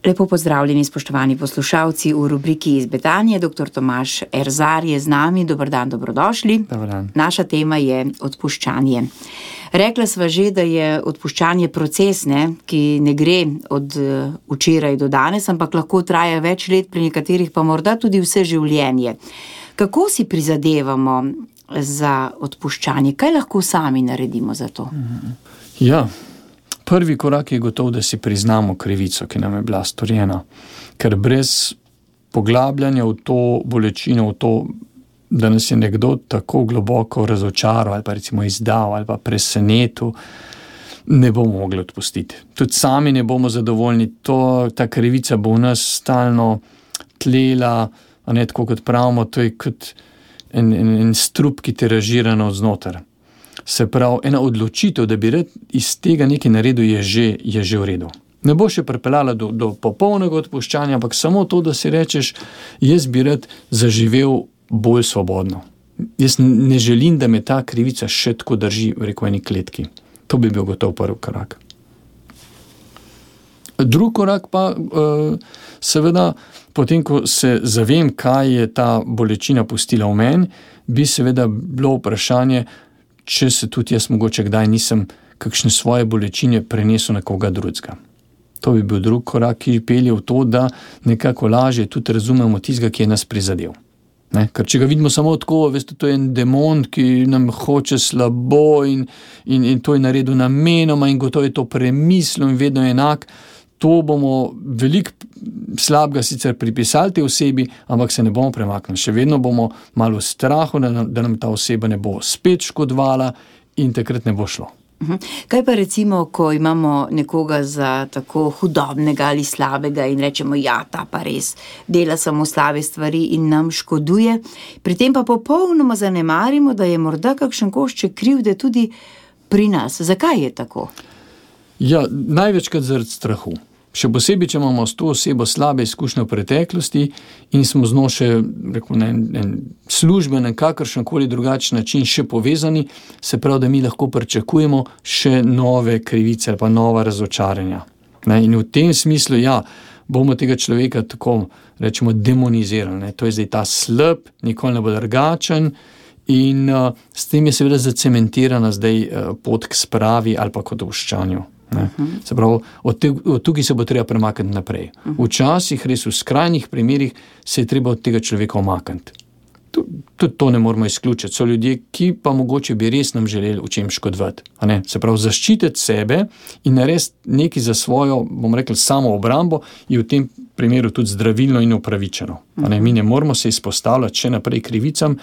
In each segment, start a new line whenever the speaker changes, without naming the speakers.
Lepo pozdravljeni, spoštovani poslušalci v rubriki Iz Betanije. Dr. Tomaž Erzar je z nami. Dober dan, dobrodošli.
Dobar dan.
Naša tema je odpuščanje. Rekla sva že, da je odpuščanje proces, ki ne gre od včeraj do danes, ampak lahko traja več let, pri nekaterih pa morda tudi vse življenje. Kako si prizadevamo za odpuščanje? Kaj lahko sami naredimo za to?
Ja, prvi korak je gotov, da si priznamo krivico, ki nam je bila storjena. Ker brez poglabljanja v to bolečino, v to, da nas je nekdo tako globoko razočaral ali pa recimo izdal ali pa presenetil, ne bomo mogli odpustiti. Tudi sami ne bomo zadovoljni. Ta krivica bo v nas stalno tlela, a ne tako kot pravimo, to je kot en strup, ki te razžira navznoter. Se pravi, ena odločitev, da bi rad iz tega nekaj naredil, je že v redu. Ne bo še pripeljala do popolnega odpuščanja, ampak samo to, da si rečeš, jaz bi rad zaživel bolj svobodno. Jaz ne želim, da me ta krivica še tako drži v eni kletki. To bi bil gotov prvi korak. Drugi korak pa, seveda, potem, ko se zavem, kaj je ta bolečina pustila v meni, bi seveda bilo vprašanje, če se tudi jaz mogoče kdaj nisem kakšne svoje bolečine prenesel na koga drugega. To bi bil drugi korak, ki pelje v to, da nekako lažje tudi razumemo tistega, ki je nas prizadel. Ker če ga vidimo samo tako, veste, to je en demon, ki nam hoče slabo in to je naredil namenoma in gotovo je to premislil in vedno enak, to bomo veliko slabega sicer pripisali tej osebi, ampak se ne bomo premaknili. Še vedno bomo malo v strahu, da nam ta oseba ne bo spet škodovala in takrat ne bo šlo.
Kaj pa recimo, ko imamo nekoga za tako hudobnega ali slabega in rečemo, ja, ta pa res dela samo slabe stvari in nam škoduje, pri tem pa popolnoma zanemarimo, da je morda kakšen košček krivde tudi pri nas. Zakaj je tako?
Ja, največkrat zaradi strahu. Še posebej, če imamo s to osebo slabe izkušnje v preteklosti in smo z njo še na en služben, kakršenkoli drugačen način še povezani, se pravi, da mi lahko pričakujemo še nove krivice ali pa nova razočaranja. In v tem smislu, ja, bomo tega človeka tako, rečemo, demonizirali. To je zdaj ta slab, nikoli ne bo drugačen in s tem je seveda zacementirana zdaj pot k spravi ali pa k odpuščanju. Se pravi, od tukaj se bo treba premakniti naprej. Včasih, res v skrajnih primerih, se je treba od tega človeka omakniti. Tudi to ne moramo izključiti. So ljudje, ki pa mogoče bi res nam želeli v čem škodovati. Se pravi, zaščititi sebe in narediti nekaj za svojo, bom rekel, samo obrambo, je v tem primeru tudi zdravilno in upravičeno. Mi ne moramo se izpostavljati še naprej krivicam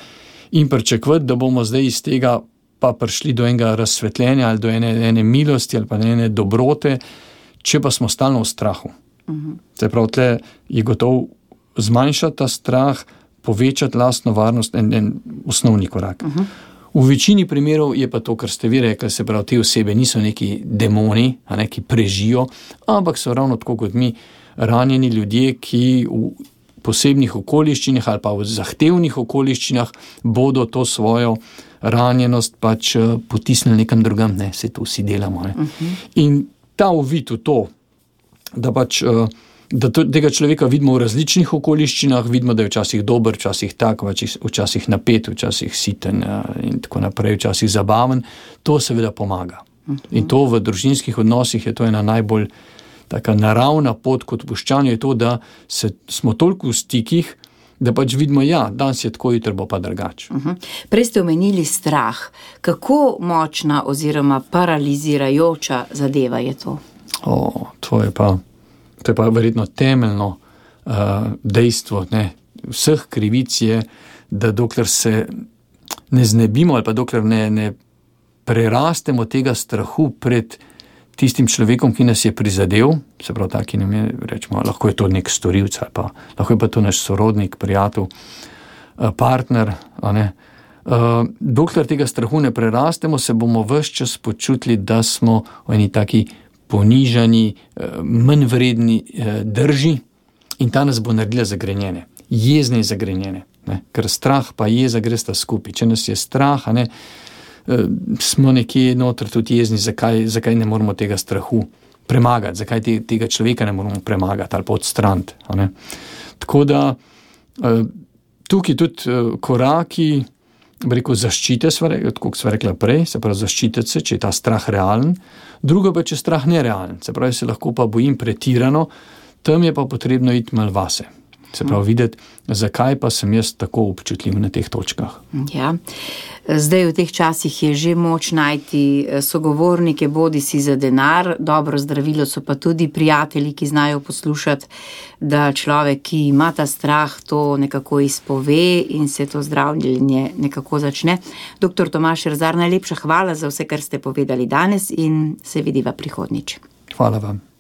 in pričakovati, da bomo zdaj iz tega pa prišli do enega razsvetljenja ali do ene milosti ali pa ene dobrote, če pa smo stalno v strahu. Se pravi, tle je gotov zmanjšati ta strah, povečati lastno varnost, en osnovni korak. V večini primerov je pa to, kar ste vi rekli, se pravi, te osebe niso neki demoni, ki prežijo, ampak so ravno tako kot mi ranjeni ljudje, ki v posebnih okoliščinah ali pa v zahtevnih okoliščinah bodo to svojo ranjenost pač potisnili nekam drugam, se to vsi delamo. In ta uvid v to, da pač da tega človeka vidimo v različnih okoliščinah, vidimo, da je včasih dober, včasih tak, včasih napet, včasih siten in tako naprej, včasih zabaven, to seveda pomaga. In to v družinskih odnosih je to ena najbolj taka naravna pot k odpuščanju, je to, da smo toliko v stikih, da pač vidimo, ja, danes je tako, jutri bo pa drugače.
Prej ste omenili strah. Kako močna oziroma paralizirajoča zadeva je to?
To je pa verjetno temeljno dejstvo, vseh krivic je, da dokler se ne znebimo ali pa dokler ne prerastemo tega strahu pred tistim človekom, ki nas je prizadel, se pravi, taki nam je, rečemo, lahko je to nek storilec ali pa lahko je pa to naš sorodnik, prijatelj, partner, dokler tega strahu ne prerastemo, se bomo ves čas počutili, da smo v eni taki ponižani, manj vredni drži in ta nas bo naredila zagrenjene, jezne in zagrenjene, ker strah pa jeza gresta skupaj. Če nas je strah, smo nekje noter tudi jezni, zakaj ne moramo tega strahu premagati, zakaj tega človeka ne moramo premagati ali pa odstraniti. Tako da tukaj tudi koraki, zaščite, kot sva rekla prej, se pravi zaščititi se, če je ta strah realen, drugo pa, če je strah nerealen, se pravi, se lahko pa bojim pretirano, tam je pa potrebno iti malo vase. Se pravi, videti, zakaj pa sem jaz tako občutljiv na teh točkah.
Ja. Zdaj v teh časih je že moč najti sogovornike, bodi si za denar, dobro zdravilo so pa tudi prijatelji, ki znajo poslušati, da človek, ki ima ta strah, to nekako izpove in se to zdravljenje nekako začne. Dr. Tomaž Rezar, najlepša hvala za vse, kar ste povedali danes in se vidiva prihodnjič.
Hvala vam.